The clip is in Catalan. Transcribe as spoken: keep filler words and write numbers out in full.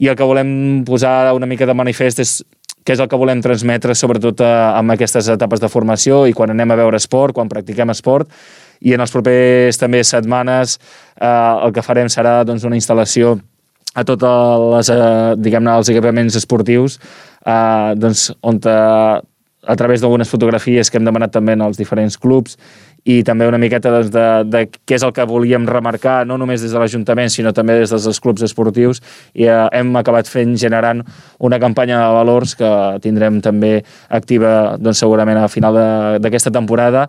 i el que volem posar una mica de manifest és què és el que volem transmetre, sobretot amb aquestes etapes de formació i quan anem a veure esport, quan practiquem esport, i en els propers també setmanes eh, el que farem serà doncs, una instal·lació a tots els, eh, diguem-ne, els equipaments esportius, eh, doncs, on eh, a través d'algunes fotografies que hem demanat també als diferents clubs i també una miqueta doncs, de, de què és el que volíem remarcar, no només des de l'Ajuntament, sinó també des dels clubs esportius, i eh, hem acabat fent, generant una campanya de valors que tindrem també activa doncs, segurament a final d'aquesta temporada,